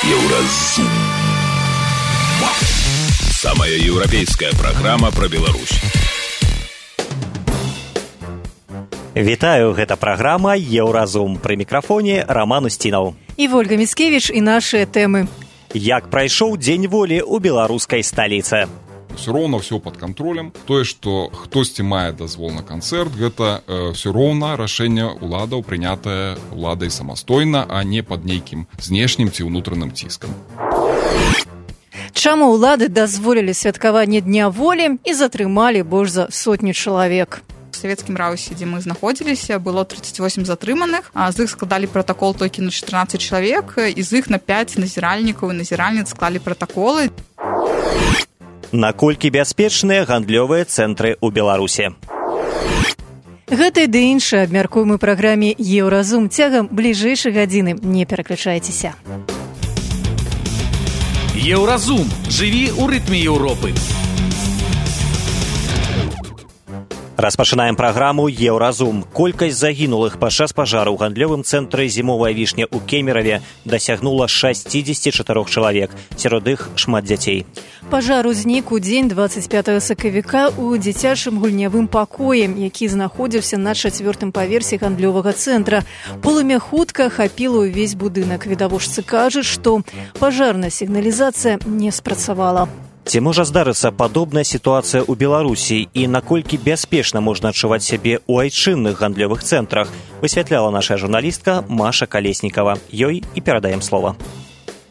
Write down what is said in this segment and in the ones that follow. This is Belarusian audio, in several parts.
Еўразум. Самая европейская программа про Беларусь. Вітаю, гэта праграма «Еўразум». Пры мікрафоне Роман Устінаў. І Вольга Міцкевіч, і нашыя тэмы. Як прайшоў Дзень волі ў беларускай сталіцы? Все роўна ўсё пад кантролем. Тое, што хтосьці мае дазвол на канцэрт, гэта все роўна рашэнне ўладаў, прынятае ўладай самастойна, а не пад нейкім знешнім ці ўнутраным ціскам. Чаму ўлады дазволілі святкаванне Дня волі і затрымалі больш за 100 чалавек? В савецкім раўсе, дзе мы знаходзіліся, было 38 затрыманых, а з іх складалі пратакол толькі на 14 чалавек, і з іх на 5 назіральнікаў і назіральніц склалі пратаколы. Наколькі бяспечныя гандлёвыя цэнтры ў Беларусі? Гэта і ды іншае абмяркуем у праграме «Еўразум» цягам бліжэйшай гадзіны. Не пераключайцеся. Еўразум. Жыві ў рытме Еўропы. Распачынаем праграму «Еўразум». Колькасць загінулых падчас пажару ў гандлёвым цэнтры «Зімовая вішня» ў Кемераве дасягнула 64 чалавек, сярод іх шмат дзяцей. Пажар узнік у дзень 25 сакавіка ў дзіцячым гульнявым пакоі, які знаходзіўся на 4-м паверсе гандлёвага цэнтра. Полымя хутка ахапіла ўвесь будынак. Відавочцы кажуць, што пажарная сігналізацыя не спрацавала. Ці можа здарыцца падобная сітуацыя ў Беларусі і наколькі бяспечна можна адчуваць сябе ў айчынных гандлёвых цэнтрах, высвятляла наша журналістка Маша Калеснікава. Ёй і перадаем слова.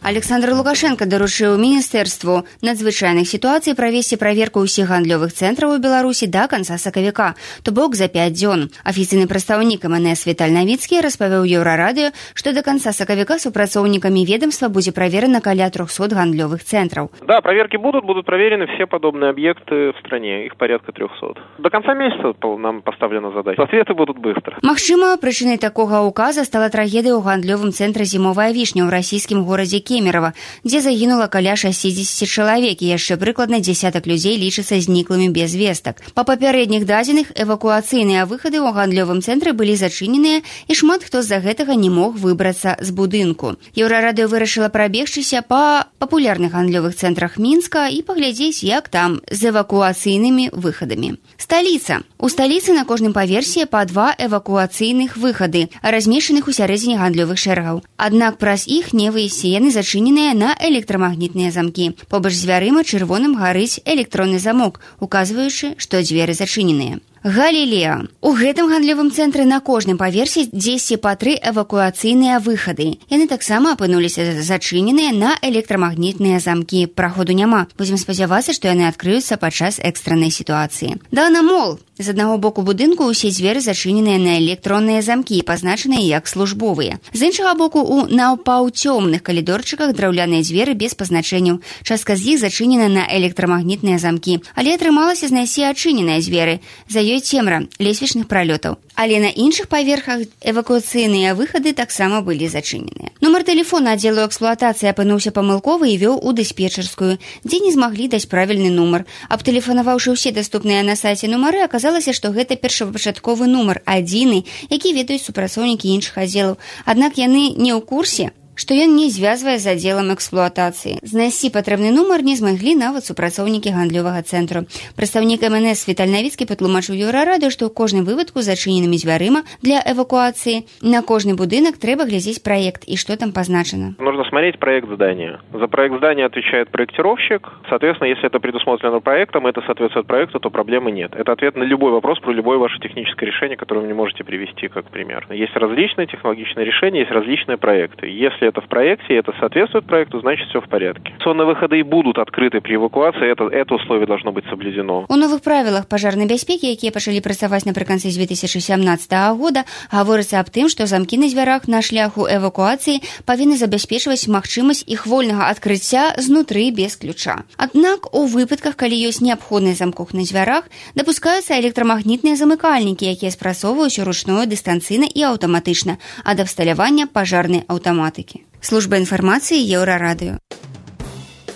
Александр Лукашенко даручыў міністэрству надзвычайных сітуацый правесці праверку ўсіх гандлёвых цэнтраў у Беларусі да канца сакавіка, то бок за 5 дзён. Афіцыйны прадстаўнік МНС Віталь Навіцкі распавёў Еўрарадыё, што до конца сакавіка супрацоўнікамі ведомства будзе праверена каля 300 гандлёвых центров. Да, проверки будут проверены все подобные объекты в стране, их порядка 300. До конца месяца нам поставлена задача. Ответы будут быстро. Магчыма, прычынай такога указа стала трагедыя ў гандлёвым цэнтры «Зімовая вішня» ў расійскім горадзе Кемерово, дзе загінула каля 60 чалавек і яшчэ прыкладна дзесятак людзей лічыцца зніклымі без вестак. Па папярэдніх дадзеных, эвакуацыйныя выхады ў гандлёвым цэнтры былі зачыненыя і шмат хто з-за гэтага не мог выбрацца з будынку. Еўрарадыё вырашыла прабегчыся па папулярных гандлёвых цэнтрах Мінска і паглядзець, як там з эвакуацыйнымі выхадамі. Сталіца. У сталіцы на кожным паверсе па 2 эвакуацыйных выхады, размешчаных у сярэдзіне гандлёвых шэрагаў. Аднак праз іх не выйсці, яны зачыненыя на электрамагнітныя замкі. Побач з дзвярыма чырвоным гарыць электронны замок, указваючы, што дзверы зачыненыя. Галілеа. У гэтым гандлёвым цэнтры на кожным паверсе дзесьці па 3 эвакуацыйныя выхады. Яны таксама апынуліся зачыненыя на электрамагнітныя замкі. Праходу няма. Будзем спадзявацца, што яны адкрыюцца падчас экстраннай сітуацыі. Дана-мол. З аднаго боку будынку ўсе дзверы зачыненыя на электронныя замкі, пазначаныя як службовыя. З іншага боку, у напаўцёмных калідорчыках драўляныя дзверы без пазначэнняў. Частка з іх зачынена на электрамагнітныя замкі. Але атрымалася знайсці адчыненыя дзверы. За ёй цемра лесвічных пралётаў. Але на іншых паверхах эвакуацыйныя выхады таксама былі зачыненыя. Нумар тэлефона аддзелу эксплуатацыі апынуўся памылковы і вёў у дыспетчарскую, дзе не змаглі даць правільны нумар. Абтэлефанаваўшы ўсе даступныя на сайце нумары, аказалася, што гэта першапачатковы нумар, адзіны, які ведаюць супрацоўнікі іншых аддзелаў. Аднак яны не ў курсе, што ён не звязвае з аддзелам эксплуатацыі. Знайсці патрэбны нумар не змаглі нават супрацоўнікі гандлёвага цэнтру. Прадстаўнік МНС Віталь Навіцкі патлумачыў Еўрарадыё, што ў кожным выпадку з зачыненымі дзвярыма для эвакуацыі на кожны будынак трэба глядзець праект і што там пазначана. Нужно смотреть проект здания. За проект здания отвечает проектировщик. Соответственно, если это предусмотрено проектом, это соответствует проекту, то проблемы нет. Это ответ на любой вопрос про любое ваше техническое решение, которое вы мне можете привести как пример. Есть различные технологичные решения, есть различные проекты. Если это в проекте, это соответствует проекту, значит все в порядке. Сонные выходы и будут открыты при эвакуации, это условие должно быть соблюдено. У новых правилах пажарнай бяспекі, якія пачалі працаваць напрыканцы 2017 года, гаворыцца аб тым, што замкі на дзвярах на шляху эвакуацыі павінны забяспечваць магчымасць іх вольнага адкрыцця знутры без ключа. Аднак у выпадках, калі ёсць неабходнасць замкоў на дзвярах, дапускаюцца электрамагнітныя замыкальнікі, якія спрацоўваюць ручную, дыстанцыйна і аўтаматычна ад абсталявання пажарнай аўтаматыкі. Служба інфармацыі Еўрарадыё.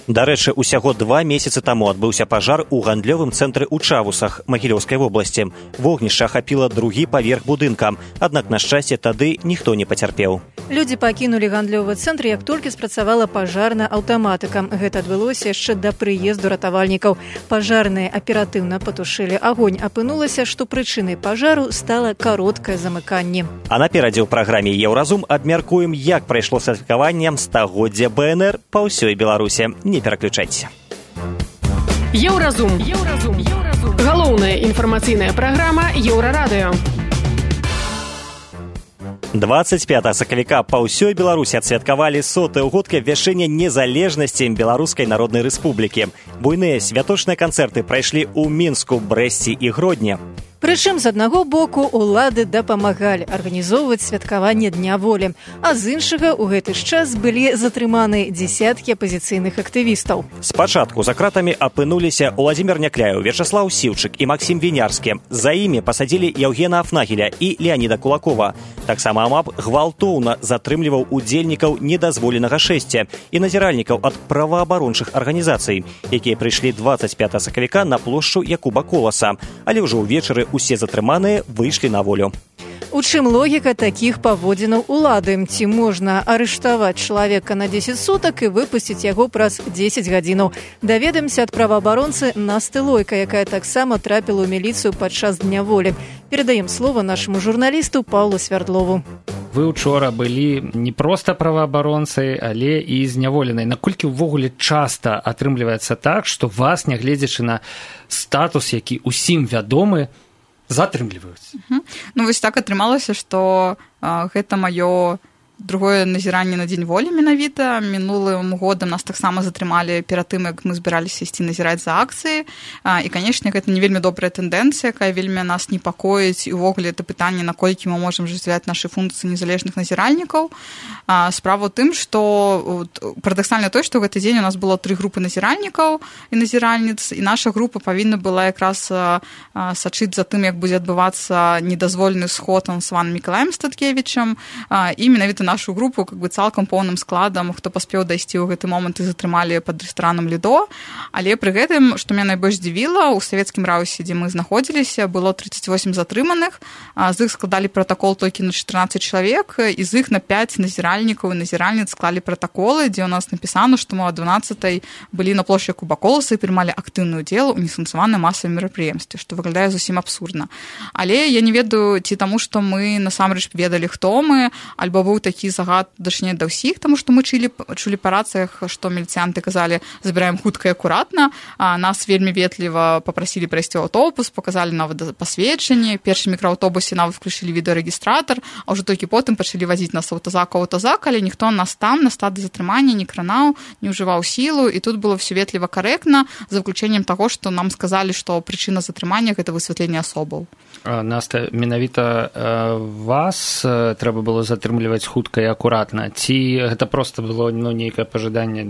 Дарэчы, усяго 2 месяцы таму адбыўся пажар у гандлёвым цэнтры ў Чавусах Магілёўскай вобласці. Вогнішча ахапіла другі паверх будынка, аднак, на шчасце, тады ніхто не пацярпеў. Людзі пакінулі гандлёвы цэнтр, як толькі спрацавала пажарная аўтаматыка. Гэта адбылося яшчэ да прыезду ратавальнікаў. Пажарныя аператыўна патушылі агонь. Апынулася, што прычынай пажару стала кароткае замыканне. А наперадзе ў праграме «Еўразум» абмяркуем, як прайшло святкаванне стагоддзя БНР па ўсёй Беларусі. Не пераключайся. Еўразум. Галоўная інфармацыйная праграма Еўрарадыё. 25 сакавіка па ўсёй Беларусі адсвяткавалі 100-ю год абвяшчэння незалежнасці Беларускай Народнай Рэспублікі. Буйныя святочныя канцэрты прайшлі ў Мінску, Брэсце і Гродні. Прычым, з аднаго боку, улады дапамагалі арганізоўваць святкаванне Дня волі, а з іншага ў гэты ж час былі затрыманы дзесяткі апазіцыйных актывістаў. Спачатку за кратамі апынуліся Уладзімір Някляеў, Вячаслаў Сіўчык і Максім Вінярскі. За імі пасадзілі Яўгена Афнагеля і Леаніда Кулакова. Таксама АМАП гвалтоўна затрымліваў удзельнікаў недазволенага шэсця і назіральнікаў ад праваабарончых арганізацый, якія прыйшлі 25 сакавіка на плошчу Якуба Коласа, але ўжо ўвечары усе затрыманыя выйшлі на волю. У чым логіка такіх паводзінаў улады? Ці можна арыштаваць чалавека на 10 сутак і выпусціць яго праз 10 гадзінаў? Даведаемся ад праваабаронцы Насты Лойка, якая таксама трапіла ў міліцыю падчас Дня волі. Перадаем слова нашаму журналісту Паўлу Свярдлову. Вы учора былі не проста праваабаронцай, але і зняволенай. Наколькі ўвогуле часта атрымліваецца так, што вас, нягледзячы на статус, які ўсім вядомы, затрымліваюць? Ну, вось так атрымалася, што гэта маё другое назіранне на Дзень волі менавіта. Мінулым годам нас таксама затрымалі перад тым, як мы збіраліся ісці назіраць за акцыі. І, канешне, гэта не вельмі добрая тэндэнцыя, якая вельмі нас непакоіць. І ўвогуле это пытанне, наколькі мы можам ажыццяўляць нашы функцыі незалежных назіральнікаў. Справа ў тым, што парадаксальна тое, што ў гэты дзень у нас было 3 групы назіральнікаў і назіральніц, і наша група павінна была якраз сачыць за тым, як будзе адбывацца недазволены сход с Іваном Мікалаем Статкевічам, і менавіта нашу групу цалкам поўным складам, хто паспеў дайсці ў гэты момант, і затрымалі пад рэстаранам Лідо. Але пры гэтым, што мяне найбольш здзівіла, у савецкім раўсе, дзе мы знаходзіліся, было 38 затрыманых, з іх складалі пратакол толькі на 14 чалавек, і з іх на 5 назіральнікаў і назіральніц склалі пратаколы, дзе ў нас напісана, што мы о 12-й былі на плошчы Якуба Коласа і прымалі актыўны ўдзел у несанкцыянаваным масавым мерапрыемстве, што выглядае зусім абсурдна. Але я не ведаю, ці таму, што мы насамрэч ведалі, хто мы, альбо быў такі загад дачне да ўсіх, таму што мы чулі па рацыях, што міліцыянты казалі, забіраем хутка і акуратна, нас вельмі ветліва папрасілі прайсці аўтобус, паказалі нават пасведчанне, першы мікрааўтобусе нават включылі відэарэгістратар, а ўжо толькі потым пачалі вазіць нас аўтазак, але ніхто нас там на стадыі затрымання не кранаў, не ўжываў сілу, і тут было ўсё ветліва карэктна, за выключэннем таго, што нам сказалі, што прычына затрымання гэта высвятленне асобаў. Наста, менавіта вас трэба было затрымліваць хутка і акуратна, ці гэта проста было нейкае пажаданне,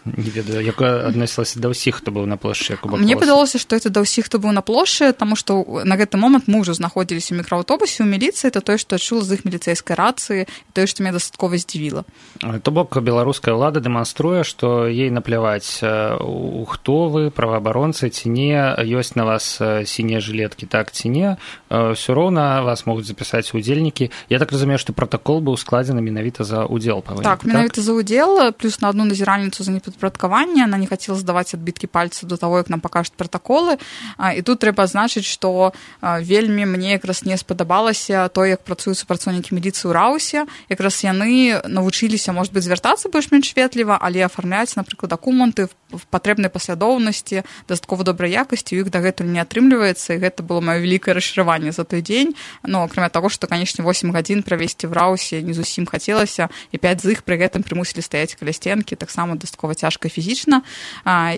не ведаю, якое адносілася да ўсіх, хто быў на плошчы Якуба Коласа? Мне падалося, што это да ўсіх, хто быў на плошчы, таму што на гэты момант мы ўжо знаходзіліся ў мікрааўтобусе ў міліцыі, это тое, што чула з іх міліцэйскай рацыі, і тое, што мяне дастаткова здзівіла. То бок беларуская ўлада дэманструе, што ей напляваць, хто вы, праваабаронцы ці не, ёсць на вас сінія жылеткі, так ці не, ўсё роўна вас могуць запісаць удзельнікі. Я так разумею, што пратакол быў складзены менавіта за ўдзел. Так, менавіта за ўдзел, плюс на одну назіральніцу за непадпарадкаванне, она не хацела здаваць адбіткі пальцаў до таго, як нам пакажуць пратаколы. І тут трэба адзначыць, што вельмі мне якраз не спадабалася то, як працуюць супрацоўнікі міліцыі ў раўсе. Якраз яны навучыліся, можа быць, звяртацца больш-менш ветліва, але афармляць, напрыклад, дакументы в патрэбнай паслядоўнасці, дастаткова добрай якасці, у іх дагэтуль не атрымліваецца, і гэта было маё вялікае расчараванне за той дзень. Ну, акрамя таго, што, канешне, 8 гадзін правесці в раўсе не зусім хацелася, і 5 з іх пры гэтым прымусілі стаяць каля сценкі, таксама дастаткова цяжка фізічна.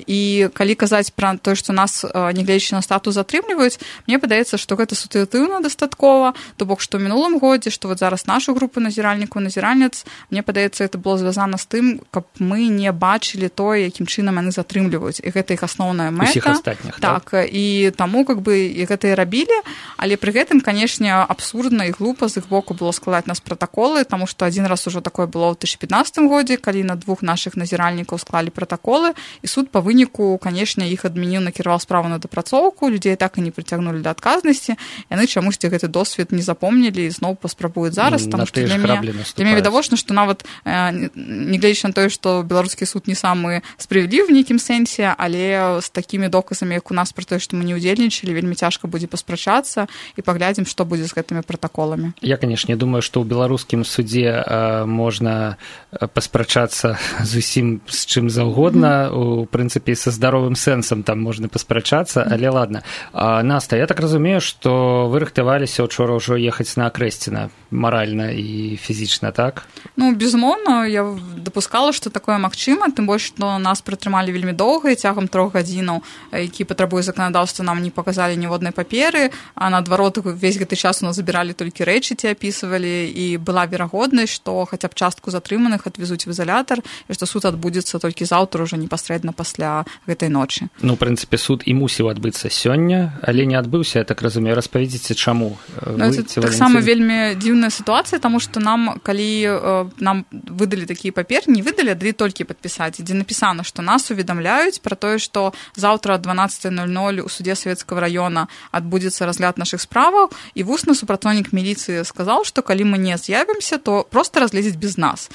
І калі казаць пра тое, што нас, нягледзячы на статус, затрымліваюць, мне падаецца, што гэта сітуатыўна дастаткова, то бок, што ў мінулым годзе, што вот зараз нашу групу назіральнікаў, назіральніц, мне падаецца, это было звязана з тым, каб мы не бачылі тое, якім чынам яны затрымліваюць, і гэта іх асноўная мэта. Усіх астатніх, так? І таму, как бы, і гэта і рабілі, але пры гэтым, канешне, абсурдна і глупа з іх боку было складаць нас пратаколы, таму што адзін раз ужо такое было ў 2015 годзе, калі на 2 нашых назіральнікаў склалі пратаколы, і суд па выніку, канешне, іх адмяніў, накіраваў справу на дапрацоўку, людзей так і не прыцягнулі да адказнасці, яны чамусьці гэты досвед не запомнілі і зноў паспрабуюць зараз, таму што для мяне відавочна, што нават нягледзячы на тое, што беларускі суд не самы справядлівы в нейкім сэнсе, але з такімі доказамі, як у нас пра тое, што мы не ўдзельнічалі, вельмі цяжка будзе паспрачацца і паглядзім, што будзе з гэтымі пратаколамі. Я, канешне, думаю, што ў беларускім судзе можна паспрачацца зусім з чым заўгодна, у прынцыпе, са здаровым сэнсам там можна паспрачацца, але ладно. Наста, я так разумею, што вы рыхтаваліся учора ўжо ехаць на Акрэсціна маральна і фізічна, так? Ну, безумоўна, я дапускала, што такое магчыма, тым больш, што нас прытрымалі вельмі доўга, і цягам 3 гадзінаў, які патрабуе заканадаўства, нам не паказалі ніводнай паперы, а наадварот, увесь гэты час у нас забіралі толькі рэчы, ці апісвалі, і была верагоднасць, што хаця б частку затрыманых адвезуць в изолятар, і што суд адбудзецца толькі заўтра, ўжо непасрэдна пасля гэтай ночы. Ну, у прынцыпе, суд і мусіў адбыцца сёння, але не адбыўся, я так разумею. Распавядзіце, чаму? Таксама вельмі дзіўная сітуацыя, таму што нам, калі нам выдалі такія паперы, не выдалі, далі толькі падпісаць, дзе напісана, што нас уведамляюць пра тое, што заўтра 12:00 у суде Савецкага раёна адбудзецца разгляд нашых справаў, і вусны супрацоўнік міліцыі сказаў, што калі мы не з'явімся, то проста разгледзяць без нас.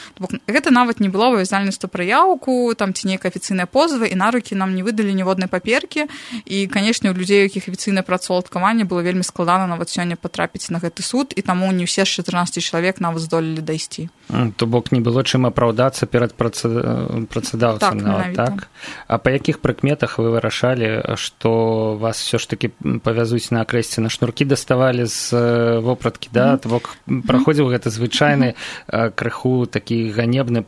Гэта нават не было абавязальнасцю пра яўку, там ці нейкая афіцыйная позва, і на рукі нам не выдалі ніводнай паперкі, і, канешне, у людзей, у якіх афіцыйнае працаўладкаванне, было вельмі складана нават сёння патрапіць на гэты суд, і таму не ўсе з 14 чалавек нават здолелі дайсці. То бок не было чым апраўдацца перад працадаўцам, так? А па якіх прыкметах вы вырашалі, што вас все ж таки павязуць на Акрэсціна? Шнуркі даставалі з вопраткі, да? То бок праходзіў гэта звычайны крыху такі ганебны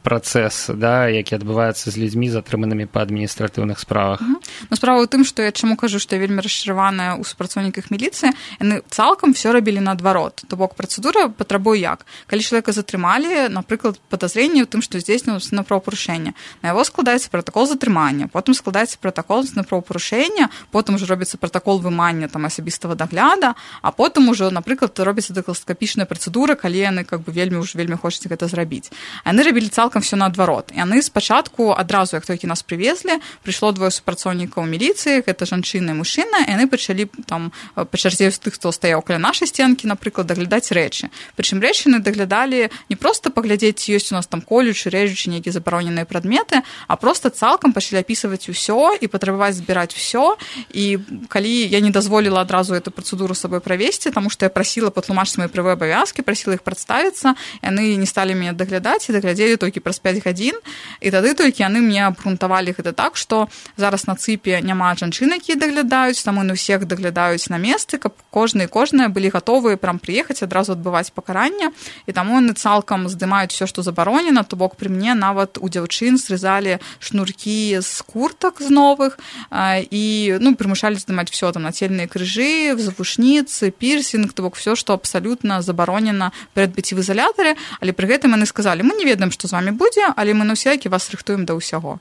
працэс, да, які адбываецца з людзьмі, затрыманымі па адміністратыўных справах. Ну, справа ў тым, што я чаму кажу, што я вельмі расчараваная ў супрацоўніках міліцыі, яны цалкам все рабілі наадварот. То бок працэдура патрабуе як? Калі чалавека затрымалі, напрыклад, падазрэнне ў тым, што здзейснілася на правапарушэнне, на яго складаецца пратакол затрымання, потым складаецца пратакол на правапарушэнне, потым ужо робіцца пратакол вымання там асабістага дагляда, а потым ужо, напрыклад, робіцца дактыскапічная працэдура, калі яны как бы вельмі хочуць гэта зрабіць. Яны рабілі цалкам все наадварот. Яны спачатку адразу, як толькі нас прывезлі, прыйшло 2 супрацоўнікаў міліцыі, гэта жанчына і мужчына, і яны пачалі там па чарзе з тых, хто стаяў каля нашай сценкі, напрыклад, даглядаць рэчы. Прычым рэчы яны даглядалі не проста паглядзець, ёсць у нас там колючы, рэжучы, нейкія забароненыя прадметы, а проста цалкам пачалі апісваць усё і патрабаваць збіраць усё. І калі я не дазволіла адразу эту працэдуру сабой правесці, таму што я прасіла патлумачыць мае правыя абавязкі, прасіла іх прадставіцца, яны не сталі мяне даглядаць і даглядзелі толькі праз 5 гадзін, і тады толькі яны мне абгрунтавалі гэта так, што зараз на цыпе няма жанчын, якія даглядаюць, таму на ўсіх даглядаюць на месцы, каб кожная былі гатовыя прям прыехаць адразу адбываць пакаранне, і таму яны цалкам здымаюць все, што забаронена, то бок пры мне нават у дзяўчын срезалі шнуркі з куртак з новых і прымушалі здымаць все, там нацельныя крыжы, завушніцы, пірсінг, то бок все, што абсалютна забаронена перадбыць в изолятары, але пры гэтым яны сказалі, мы не ведаем, што з вами будзе, але мы на ўсякі вас рыхтуем да ўсяго.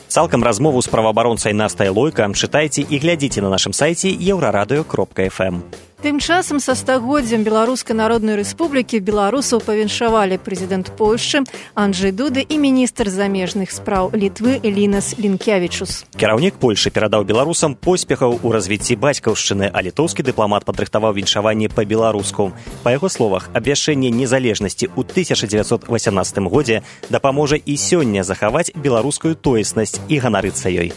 Цалкам размову з праваабаронцай Настай Лойка чытайце і глядзіце на нашым сайце еўрарадыё.фм. Тым часам са стагоддзям Беларускай Народнай Рэспублікі беларусаў павіншавалі прэзідэнт Польшчы Анджэй Дуды і міністр замежных спраў Літвы Лінас Лінкявічус. Кіраўнік Польшы перадаў беларусам поспехаў у развіцці бацькаўшчыны, а літоўскі дыпламат падрыхтаваў віншаванне па-беларуску. Па яго словах, абвяшчэнне незалежнасці ў 1918 годзе дапаможа і сёння захаваць беларускую тоеснасць і ганарыцца ёй.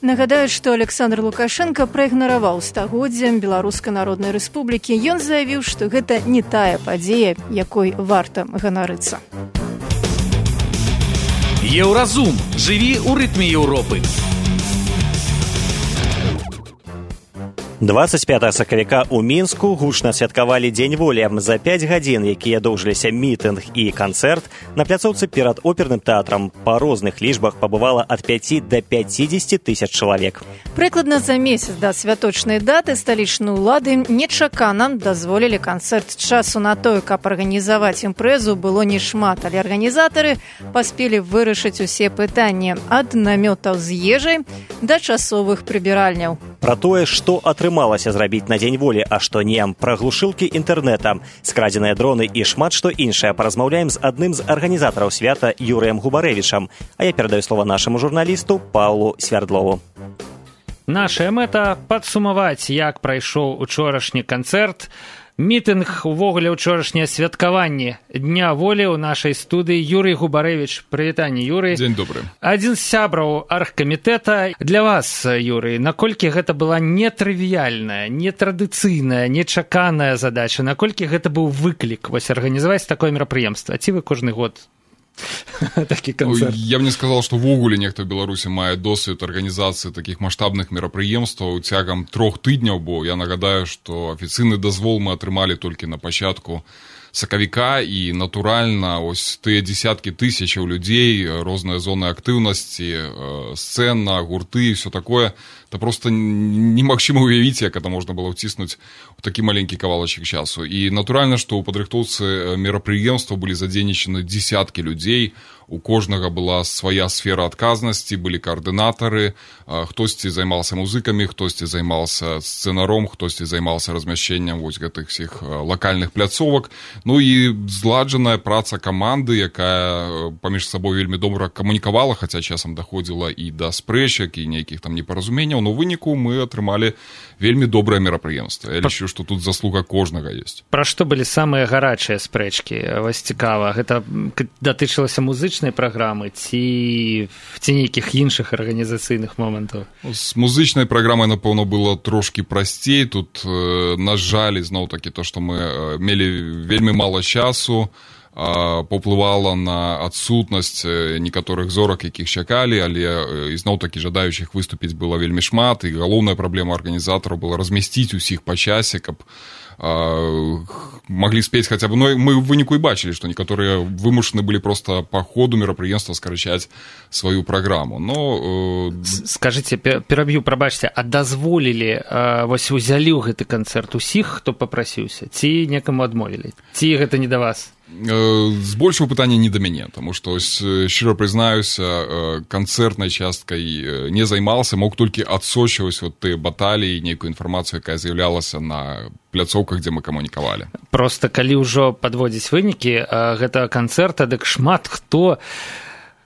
Нагадаюць, што Александр Лукашенко праігнараваў стагоддзям Беларускай Народнай Рэспублікі. Ён заявіў, што гэта не тая падзея, якой варта ганарыцца. Еўразум. Жыві ў рытме Еўропы. 25 сакавіка ў Мінску гучна святкавалі Дзень волі. За 5 гадзін, якія доўжыліся мітынг і канцэрт, на пляцоўцы перад оперным тэатрам па розных лічбах пабывала ад 5 да 50 тысяч чалавек. Прыкладна за месяц да святочнай даты сталічныя ўлады нечакана дазволілі канцэрт. Часу на тое, каб арганізаваць імпрэзу, было нешмат, але арганізатары паспелі вырашыць усе пытанні ад намётаў з ежай да часовых прыбіральняў. Пра тое, што атрымалася зрабіць на дзень волі, а што не, пра глушылкі інтэрнэта, скрадзеныя дроны і шмат што іншае паразмаўляем з адным з арганізатараў свята Юрыем Губарэвічам. А я перадаю слова нашаму журналісту Паўлу Свярдлову. Нашая мэта – падсумаваць, як прайшоў учорашні канцэрт. Мітынг, увогуле учорашняе святкаванне Дня волі ў нашай студыі. Юрый Губарэвіч, прывітанне, Юрый. Дзень добры. Адзін з сябраў аргкамітэта. Для вас, Юрый, наколькі гэта была нетрывіяльная, нетрадыцыйная, нечаканая задача, наколькі гэта быў выклік вось арганізаваць такое мерапрыемства? Ці вы кожны год такі канцэрт? Я б не сказал, што ввогуле нехта ў Беларусі мае досвед арганізацыі такіх маштабных мерапрыемстваў цягам 3 тыдняў, бо я нагадаю, што афіцыйны дазвол мы атрымалі толькі на пачатку сакавіка, і натуральна ось тыя дзесяткі тысячаў людзей, розныя зоны актыўнасці, сцэна, гурты і ўсё такое, это просто немагчыма уявіць, як это можна было ўціснуць у такі маленькі кавалачак часу. І натуральна, што ў падрыхтоўцы мерапрыемства былі задзейнічаны дзесяткі людзей, у кожнага была свая сфера адказнасці, былі каардынатары, хтосьці займаўся музыкамі, хтосьці займаўся сцэнаром, хтосьці займаўся размяшчэннем вось гэтых всіх лакальных пляцовак. Ну і зладжаная праца каманды, якая паміж сабой вельмі добра камунікавала, хаця часам даходзіла і да спрэчак, і нейкіх там непаразуменняў, но ў выніку мы атрымалі вельмі добрае мерапрыемства. Я лічу, што тут заслуга кожнага ёсць. Пра што былі самыя гарачыя спрэчкі? Вось цікава, гэта датычылася музычнай праграмы ці нейкіх іншых арганізацыйных момантаў? З музычнай праграмай, напэўна, было трошкі прасцей. Тут, на жаль, зноў-такі то, што мы мелі вельмі мала часу, паўплывала на адсутнасць некаторых зорак, якіх чакалі, але ізноў-такі жадаючых выступіць было вельмі шмат, і галоўная праблема арганізатараў была размясціць усіх па часе, каб маглі спець хаця б. Ну, мы ў выніку і бачылі, што некаторыя вымушаны былі проста па ходу мерапрыемства скарачаць сваю праграму. Но скажыце, пераб'ю, прабачце, а дазволілі, вось узялі ў гэты канцэрт усіх, хто папрасіўся, ці некаму адмовілі? Ці гэта не да вас? Збольшага пытання не да мяне, таму што, шчыра прызнаюся, канцэртнай часткай не займаўся, мог толькі адсочваць вот тыя баталіі, нейкую інфармацыю, якая з'яўлялася на пляцоўках, дзе мы камунікавалі. Проста калі ўжо падводзіць вынікі гэтага канцэрта, дык шмат хто,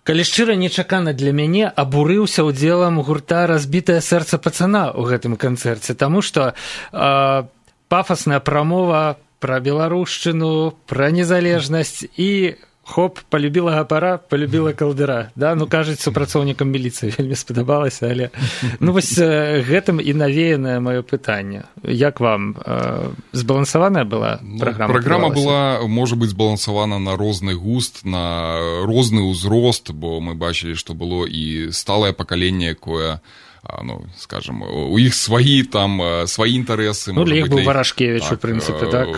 калі шчыра, нечакана для мяне, абурыўся ўдзелам гурта «Разбітае сэрца пацана» ў гэтым канцэрце, таму што пафасная прамова пра беларушчыну, пра незалежнасць і хоп, полюбіла гапара, полюбіла калдыра. Да? Ну, кажуць, супрацоўнікам міліцыі вельмі спадабалася, але ну, вось гэтым і навеянае маё пытанне. Як вам? Збалансаваная была праграма? Праграма была, можа быць, збалансавана на розны густ, на розны ўзрост, бо мы бачылі, што было і сталае пакаленне, якое, ну, скажем, у іх сваі там сваі інтарэсы. Ну, для іх быў Варашкевіч, у прынцыпе, так?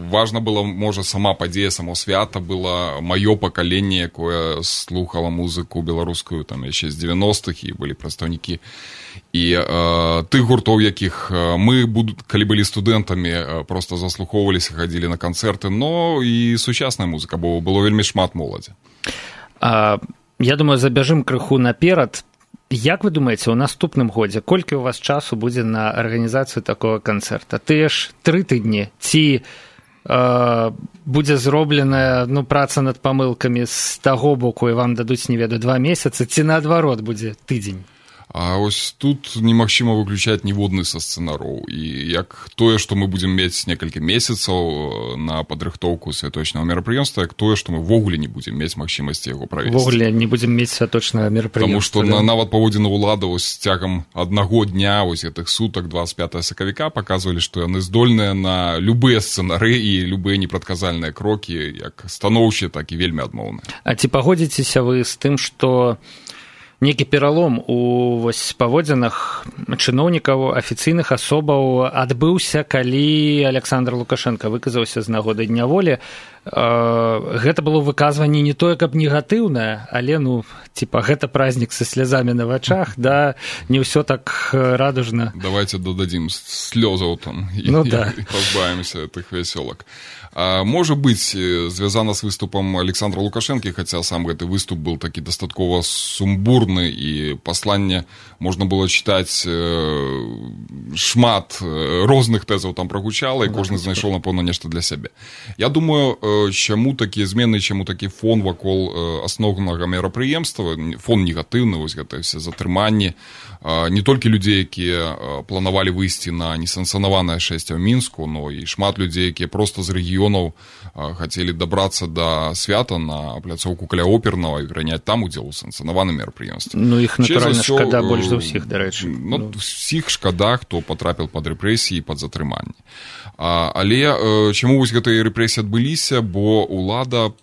Важна было, можа, сама падзея, само свята было маё пакаленне, якое слухала музыку беларускую там яшчэ з 90-х, і былі прадстаўнікі і тых гуртоў, якіх мы, калі былі студэнтамі, проста заслухоўваліся, хадзілі на канцэрты, но і сучасная музыка, бо было вельмі шмат моладзі. Я думаю, забяжым крыху наперад. Як вы думаеце, у наступным годзе колькі у вас часу будзе на арганізацыю такога канцэрта? Тыя ж 3 тыдні? Ці будзе зробленая праца над памылкамі з таго боку і вам дадуць, не ведаю, 2 месяцы, ці наадварот будзе тыдзень? А ось тут немагчыма выключаць ніводны са сцэнароў. І як тое, што мы будзем мець некалькі месяцаў на падрыхтоўку святочнага мерапрыемства, як тое, што мы ввогуле не будзем мець магчымасці яго правесці. Ввогуле не будзем мець святочнага мерапрыемства. Таму што нават паводзіны ўлады цягам аднаго дня, гэтых сутак, 25 сакавіка, паказвалі, што яны здольныя на любыя сцэнары і любыя непрадказальныя крокі, як станоўчыя, так і вельмі адмоўныя. А ці пагодзіцеся вы з тым, што нейкі пералом у паводзінах чыноўнікаў, афіцыйных асобаў адбыўся, калі Александр Лукашенко выказаўся з нагоды Дня волі? Гэта было выказванне не тое, каб негатыўнае, але, гэта празднік са слязамі на вачах, да, не ўсё так радужна. Давайте дададзім слёзаў там і пазбавімся тых вясёлак. Можа быць, звязана з выступам Александра Лукашэнкі, хаця сам гэты выступ быў такі дастаткова сумбурны, абурны, і пасланне можна было чытаць шмат розных тэзаў там прагучала, і кожны знайшоў, напэўна, нешта для сябе. Я думаю, чаму такія змены, чаму такі фон вакол асноўнага мерапрыемства, фон негатыўны, вось гэтыя все затрыманні, не толькі людзей, якія планавалі выйсці на несанкцыянаванае шэсце ў Мінску, но і шмат людзей, якія проста з рэгіёнаў хацелі дабрацца да свята на пляцоўку каля опернага і прыняць там удзел у санкцыянаваным мерапрыемстве. Ну, іх, натуральна, шкада больш за ўсіх, дарэчы. Ну, усіх шкада, хто патрапіў пад рэпрэсіі, пад затрыманне. Але чаму вось гэтыя рэпрэсіі адбыліся? Бо ўлада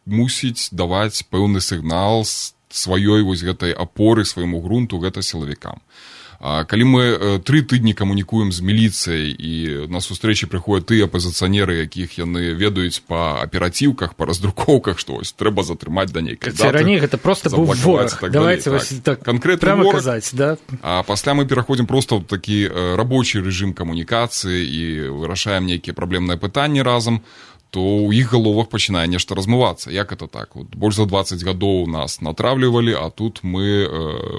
мусіць даваць пэўны сігнал сваёй вось гэтай апоры, свайму грунту, гэта сілавікам. Калі мы 3 тыдні камунікуем з міліцыяй і на сустрэчы прыходзяць тыя апазіцыянеры, якіх яны ведаюць па аперацыўках, па раздрукоўках, што вось трэба затрымаць да нейкай даты. Раней гэта проста быў вораг. Давайте вось так прямо казаць, да? А пасля мы пераходзім проста ў такі рабочы рэжым камунікацыі і вырашаем нейкія праблемныя пытанні разам, то ў іх галовах пачынае нешта размывацца. Як это так? Вот больш за 20 гадоў нас натравлівалі, а тут мы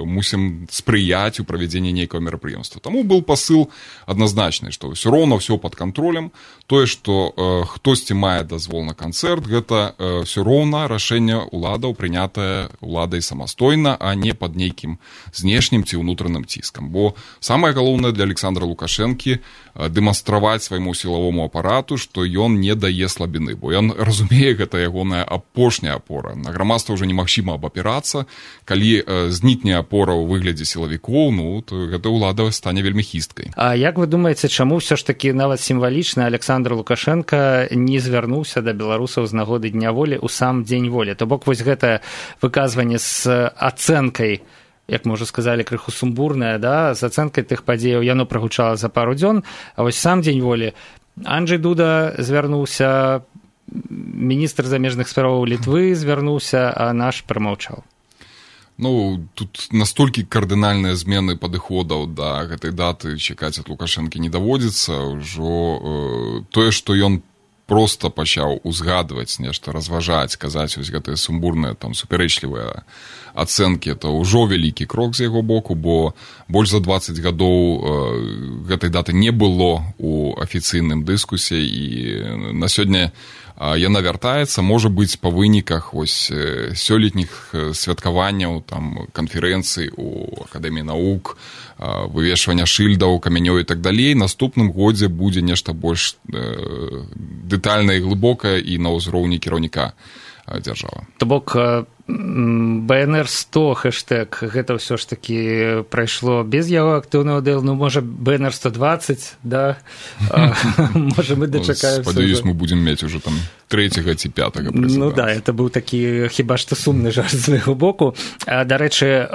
мусім спрыяць у правядзенні нейкага мерапрыемства. Таму быў пасыл адназначны, што ўсё роўна ўсё пад кантролем. Тое, што хтосьці мае дазвол на канцэрт, гэта ўсё роўна рашэнне ўладаў, прынятае ўладай самастойна, а не пад нейкім знешнім ці ўнутраным ціскам. Бо самае галоўнае для Александра Лукашэнкі дэманстраваць свайму сілавому апарату, што ён не дае слабіны, бо ён разумее, гэта ягоная апошняя апора. На грамадства ўжо немагчыма абапірацца. Калі знікне апора ў выглядзе сілавікоў, ну, то гэта ўлада стане вельмі хісткай. А як вы думаеце, чаму ўсё ж такі нават сімвалічна Александр Лукашенко не звярнуўся да беларусаў з нагоды Дня волі ў сам дзень волі? То бок вось гэта выказванне з ацэнкай, як мы ўжо сказалі, крыху сумбурная, да, з ацэнкай тых падзеяў, яно прагучала за пару дзён, а вось сам дзень волі Анджэй Дуда звярнуўся, міністр замежных справаў Літвы звярнуўся, а наш прамаўчаў. Ну, тут настолькі кардынальныя змены падыходаў да гэтай даты чакаць ад Лукашэнкі не даводзіцца. Ужо тое, што ён проста пачаў узгадваць нешта, разважаць, казаць вось гэтыя сумбурныя, там, суперэчлівыя ацэнкі, это ўжо вялікі крок з яго боку, бо больш за 20 гадоў гэтай даты не было ў афіцыйным дыскусе, і на сёння яна вяртаецца, можа быць, па выніках вось сёлетніх святкаванняў, там, канферэнцый у Акадэміі навук, вывешвання шыльдаў, камянёў і так далей. Наступным годзе будзе нешта больш дэтальнае і глыбокае і на ўзроўні кіраўніка дзяржавы. То бок БНР-100 хэштэг, гэта ўсё ж такі прайшло без яго актыўнага ўдзелу, ну, можа, БНР-120, да? Можа, мы дачакаемся. Спадзяюсь, мы будзем мець уже там 3-го ці 5-го прэзідэнта. Ну да, это быў такі хіба што сумны жарт з майго боку. Дарэчы,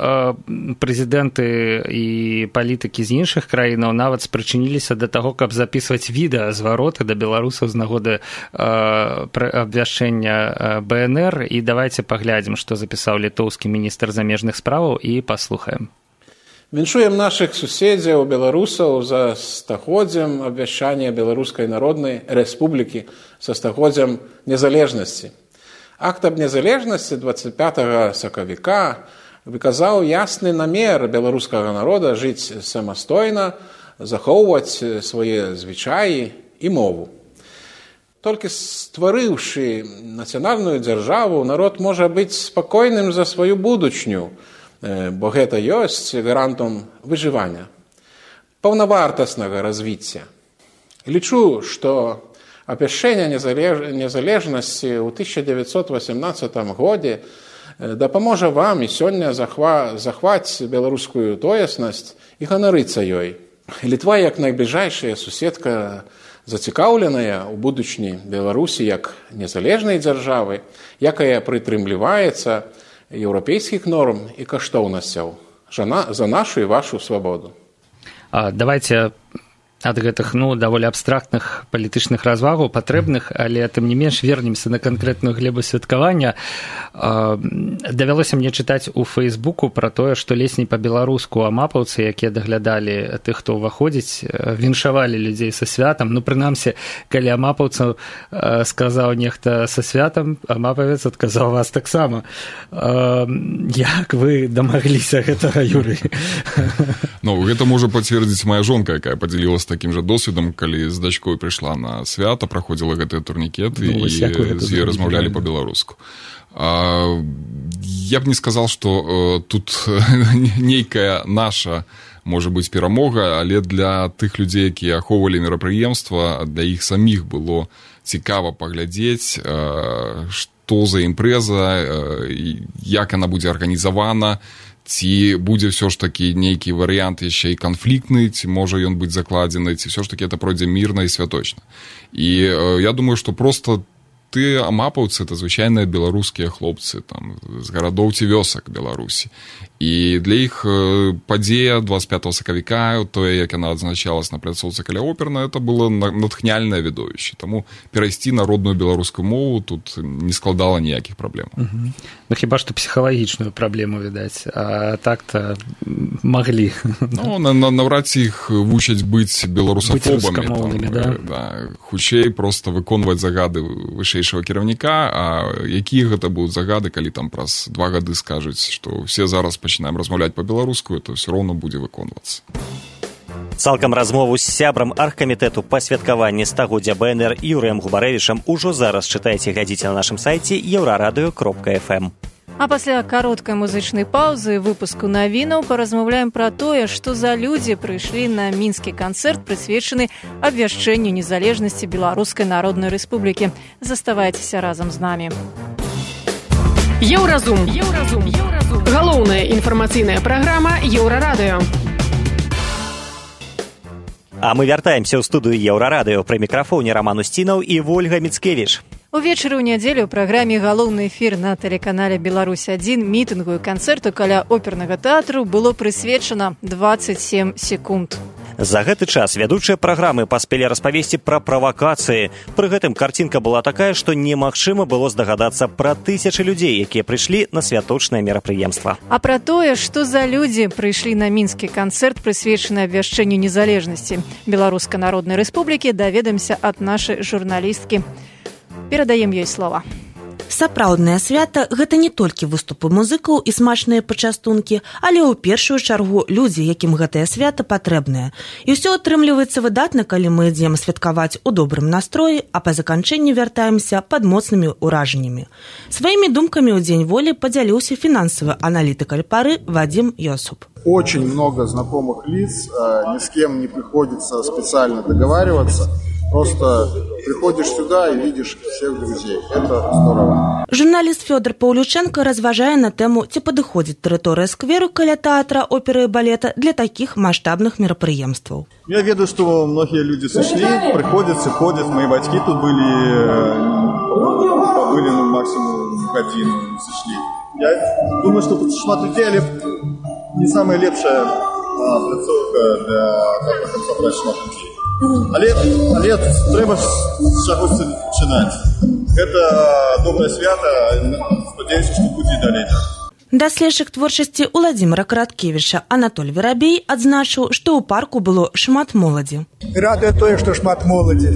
прэзідэнты і палітыкі з іншых краінаў нават спрычыніліся да таго, каб запісваць відэазвароты да беларусаў з нагоды абвяшчэння БНР. І давайте паглядзім, што запісаў літоўскі міністр замежных справаў, і паслухаем. Віншуем нашых суседзяў, беларусаў за стагоддзям абвяшчання Беларускай Народнай Рэспублікі, са стагоддзям незалежнасці. Акт аб незалежнасці 25 сакавіка выказаў ясны намер беларускага народа жыць самастойна, захоўваць свае звычаі і мову. Толькі стварыўшы нацыянальную дзяржаву, народ можа быць спакойным за сваю будучню, бо гэта ёсць гарантам выжывання, паўнавартаснага развіцця. Лічу, што абвяшчэнне незалежнасці ў 1918 годзе дапаможа вам і сёння захваць беларускую тоеснасць і ганарыцца ёй. Літва, як найбліжэйшая суседка, зацікаўленая ў будучні Беларусі як незалежнай дзяржавы, якая прытрымліваецца еўрапейскіх норм і каштоўнасцяў за нашу і вашу свабоду. Давайте ад гэтых даволі абстрактных палітычных развагаў патрэбных, але тым не менш вернемся на канкрэтную глебу святкавання. Давялося мне чытаць у Фейсбуку пра тое, што ледзь не па-беларуску амапаўцы, якія даглядалі тых, хто ўваходзіць, віншавалі людзей са святам. Прынамсі, калі амапаўцаў сказаў нехта са святам, амапавец адказаў вас таксама. Як вы дамагліся гэтага, Юрый? Гэта можа пацвердзіць моя жонка, якая падзялілася такім жа досведам, калі з дачкой прыйшла на свята, праходзіла гэтыя турнікеты і з ёй размаўлялі па-беларуску. Я б не сказал, што тут нейкая наша можа быць перамога, але для тых людзей, якія ахоўвалі мерапрыемства, для іх саміх было цікава паглядзець, што за імпрэза, як яна будзе арганізавана, ці будзе ўсё ж такі нейкі варыянт яшчэ і канфліктны, ці можа ён быць закладзены, ці ўсё ж такі это пройдзе мірна і святочна. І я думаю, што проста ты амапаўцы, это звычайныя беларускія хлопцы там, з гарадоў ці вёсак Беларусі. І для іх падзея 25 сакавіка, тое, як яна адзначалась на пляцоўцы каля оперна, это было натхняльнае відовішча. Таму перайсці на родную беларускую мову тут не складала ніякіх праблем. Хіба што псіхалагічную праблему, відаць, а так-то маглі. Наўрад ці іх вучаць быць беларусафобамі. Хутчэй проста выконваць загады вышэйшага кіраўніка, а якія гэта будуць загады, калі там праз 2 гады скажуць, што ўсе зараз пачинаем размаўляць па-беларуску, это все роўно будзе выконвацца. Цалкам размову з сябрам аргкамітэту па святкаванні стагоддзя БНР Юрыем Губарэвічам ужо зараз чытайце і глядзіце на нашым сайце euraradыё.fm. А пасля кароткай музычнай паўзы выпуску навінаў паразмаўляем пра тое, што за людзі прыйшлі на мінскі канцэрт, прысвечаны абвяшчэнню незалежнасці Беларускай Народнай Рэспублікі. Заставайцеся разам з намі. Еўразум. Галоўная інфармацыйная праграма Еўрарадыё. А мы вяртаемся ў студыю Еўрарадыё. Пры мікрафоне Раман Усцінаў і Вольга Міцкевіч. Увечары ў нядзелю ў праграме «Галоўны эфір» на тэлеканале «Беларусь-1» мітынгу і канцэрту каля опернага тэатру было прысвечана 27 секунд. За гэты час вядучыя праграмы паспелі распавесці пра правакацыі. Пры гэтым карцінка была такая, што немагчыма было здагадацца пра тысячы людзей, якія прыйшлі на святочнае мерапрыемства. А пра тое, што за людзі прыйшлі на мінскі канцэрт, прысвечаны абвяшчэнню незалежнасці Беларускай Народнай Рэспублікі, даведаемся ад нашай журналісткі. Перадаем ёй слова. Сапраўднае свята – гэта не толькі выступы музыкаў і смачныя пачастункі, але ў першую чаргу людзі, якім гэтае свята патрэбнае. І ўсё атрымліваецца выдатна, калі мы ідзем святкаваць у добрым настроі, а па заканчэнні вяртаемся пад моцнымі ўражаннямі. Сваімі думкамі ў Дзень волі падзяліўся фінансавы аналітык Альпары Вадим Йосуп. Очень много знакомых лиц, ни с кем не приходится специально договариваться. Просто приходишь сюда и видишь всех друзей. Это здорово. Журналіст Фёдор Паўлюченко разважае на тэму, ці падыходзіць тэрыторыя скверу каля тэатра, оперы і балета для такіх маштабных мерапрыемстваў. Я ведаю, что многие люди сошли, приходят, ходят. Мои батьки тут были максимум годину и сошли. Я думаю, что шмат людей, але не самая лепшая пляцоўка для того, каб сабраць шмат людей. Але трэба з чагось пачынаць. Гэта добрае свята, спадзяюся, што будзе і далей. Даследчык творчасці Уладзіміра Караткевіча Анатоль Верабей адзначыў, што ў парку было шмат моладзі. Радуе тое, што шмат моладзі.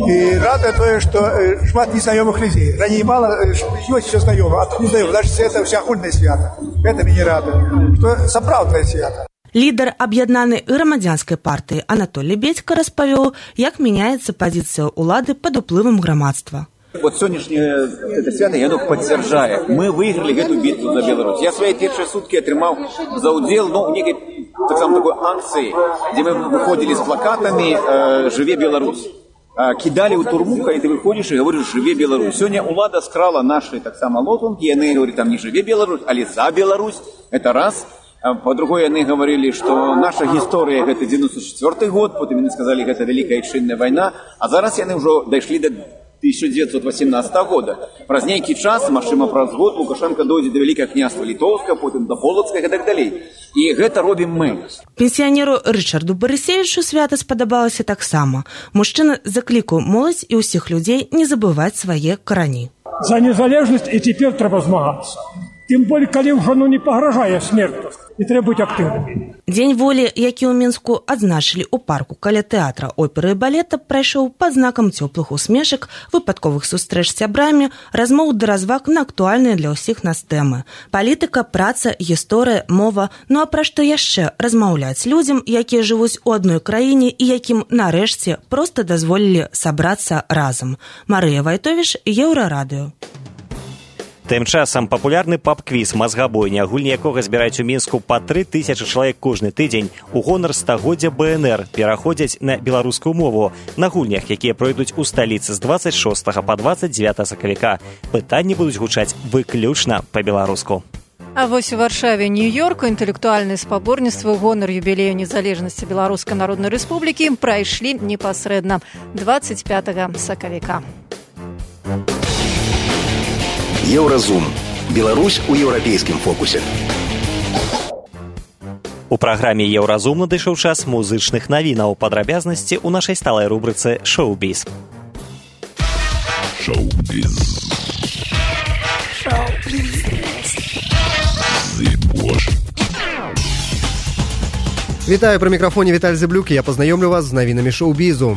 І радуе тое, што шмат незнаёмых людзей. Раней мала, ёсць усё знаёма, а тут не знаёма. Значыць, гэта ўсеагульнае свята. Гэта мяне радуе. Што сапраўднае свята. Лідар аб'яднанай грамадзянскай партыі Анатоль Лебедька распавёў, як мяняецца пазіцыя ўлады пад уплывам грамадства. Вот сегодняшнее это свято, оно подтверждает. Мы выиграли эту битву за Беларусь. Я свои первые сутки отримал за удел, в некой такой акции, где мы выходили с плакатами «Живе Беларусь». Кидали у турмука, и ты выходишь и говоришь «Живе Беларусь». Сегодня улада скрала наши так само лозунги, и они говорят там не «Живе Беларусь», а «За Беларусь». Это раз. По-другому они говорили, что наша история это 94 год, потом они сказали, это Великая Отчинная война, а зараз они уже дошли до 1918 года. Праз нейкі час, магчыма, праз год Лукашенко дойдзе да Вялікага княства Літоўска, потым да Полацкага і так далей. І гэта робім мы. Пенсіянеру Рычарду Барысевічу свята спадабалася таксама. Мужчына заклікаў моладзь і ўсіх людзей не забываць свае карані. За незалежнасць і цяпер трэба змагацца. Тым болей, калі ўжо не пагражае смерць. І трэба быць актыўнымі. Дзень волі, які ў Мінску адзначылі ў парку каля тэатра оперы і балета, прайшоў пад знакам цёплых усмешак, выпадковых сустрэч з сябрамі, размоў да разваг на актуальныя для ўсіх нас тэмы. Палітыка, праца, гісторыя, мова, ну а пра што яшчэ размаўляць людзям, якія жывуць у адной краіне і якім нарэшце проста дазволілі сабрацца разам. Марыя Вайтовіш, Еўрарадыё. Тым часам папулярны паб-квіз «Мазгабойня», гульні якога збіраюць у Мінску па 3000 чалавек кожны тыдзень, у гонар стагоддзя БНР пераходзяць на беларускую мову. На гульнях, якія пройдуць у сталіцы з 26 па 29 сакавіка, пытанні будуць гучаць выключна па-беларуску. А вось у Варшаве, Нью-Йорку інтэлектуальныя спаборніцтвы ў гонар юбілею незалежнасці Беларускай Народнай Рэспублікі прайшлі непасрэдна 25 сакавіка. Еўразум. Беларусь у еўрапейскім фокусе. У праграме «Еўразум» надышоў час музычных навінаў. Падрабязнасці ў нашай сталай рубрыцы «Шоу-біз». Шоу-біз. Вітаю, пры мікрафоне Віталь Зэблюк, я пазнаёмлю вас з навінамі шоу-бізу.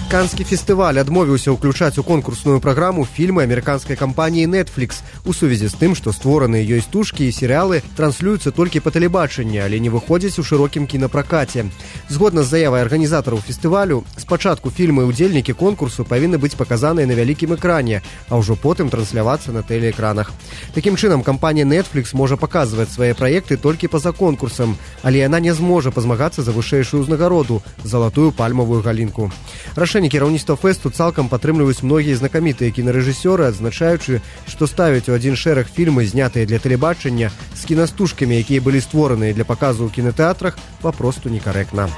Канскі фестываль адмовіўся ўключаць у конкурсную праграму фільмы амерыканскай кампаніі Netflix у сувязі з тым, што створаныя ёй стужкі і серыялы транслююцца толькі па тэлебачанні, але не выходзяць у шырокім кінапракаце. Згодна з заявай арганізатараў фестывалю, спачатку фільмы і ўдзельнікі конкурсу павінны быць паказаныя на вялікім экране, а ўжо потым транслявацца на тэлеэкранах. Такім чынам, кампанія Netflix можа паказваць свае праекты толькі па-за конкурсам, але яна не зможа пазмагацца за вышэйшую ўзнагароду – залатую пальмавую галінку. Рашэнне кіраўніцтва фэсту цалкам падтрымліваюць многія знакамітыя кінарэжысёры, адзначаючы, што ставяць у адзін шэраг фільмы, знятыя для тэлебачання, з кінастужкамі, якія былі створаныя для паказу ў кінатэатрах, папросту некарэктна.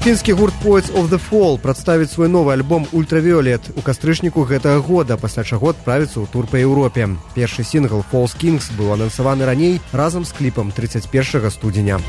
Фінскі гурт Poets of the Fall прадставіць свой новы альбом «Ультравіолет» у кастрычніку гэтага года, пасля чаго адправіцца ў тур па Еўропе. Першы сінгл «False Kings» быў анансаваны раней разам з кліпам 31 студзеня.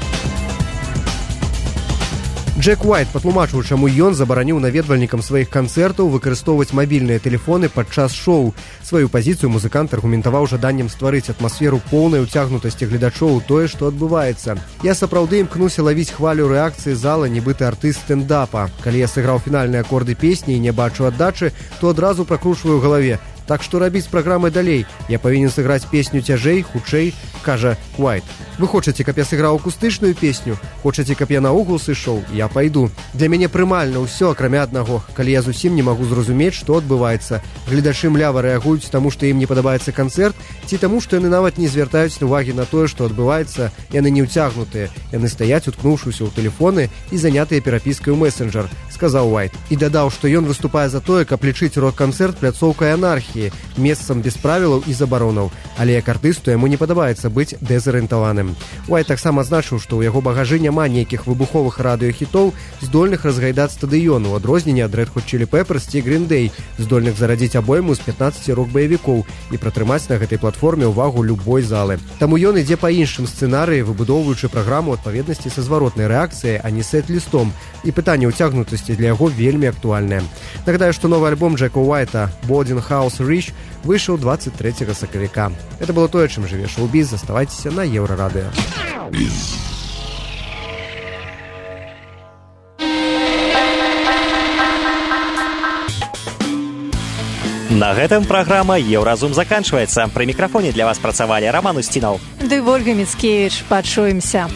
Джек Уайт патлумачыў, чаму ён забараніў наведвальнікам сваіх канцэртаў выкарыстоўваць мабільныя тэлефоны падчас шоу. Сваю пазіцыю музыкант аргументаваў жаданнем стварыць атмасферу поўнай уцягнутасці гледачоў у тое, што адбываецца. Я сапраўды імкнуся лавіць хвалю рэакцыі зала, нібыта артыст стэндапа. Калі я сыграў фінальныя акорды песні і не бачу аддачы, то адразу пракручваю ў галаве. Так што рабіць з праграмай далей? Я павінен сыграць песню цяжэй, хутчэй, кажа Уайт. Вы хочаце, каб я сыграў акустычную песню? Хочаце, каб я наогул сышоў? Я пайду. Для мяне прымальна ўсё, акрамя аднаго. Калі я зусім не магу зразумець, што адбываецца. Гледачы млява рэагуюць таму, што ім не падабаецца канцэрт, ці таму, што яны нават не звяртаюць увагі на тое, што адбываецца, яны не ўцягнутыя. Яны стаяць, уткнуўшыся ў тэлефоны і занятыя перапіскай у месенджер, сказаў Уайт. І дадаў, што ён выступае за тое, каб лічыць рок-канцэрт пляцоўкай анархіі, месцам без правілаў і забаронаў. Але як артысту яму не падабаецца быць дэзарыентаваным. Уайт таксама адзначыў, што ў яго багажы няма нейкіх выбуховых радыёхітоў, здольных разгайдаць стадыён, у адрозненне ад Red Hot Chili Peppers ці Green Day, здольных зарадзіць абойму з 15 рок-баевікоў і пратрымаць на гэтай платформе ўвагу любой залы. Таму ён ідзе па іншым сцэнарыі, выбудоўваючы праграму адпаведнасці са зваротнай рэакцыяй, а не сет-лістом. І пытанне ўцягнутасці для яго вельмі актуальнае. Нагадаю, што новы альбом Джека Уайта «Boarding House Rich» выйшаў 23 сакавіка. Это было тое, чым жыве шоу-біз. Заставайцеся на Еўрарадыё. На гэтым праграма «Еўразум» заканчваецца. Пры мікрафоне для вас працавалі Роман Устінаў ды Вольга Міцкевіч. Пачуемся.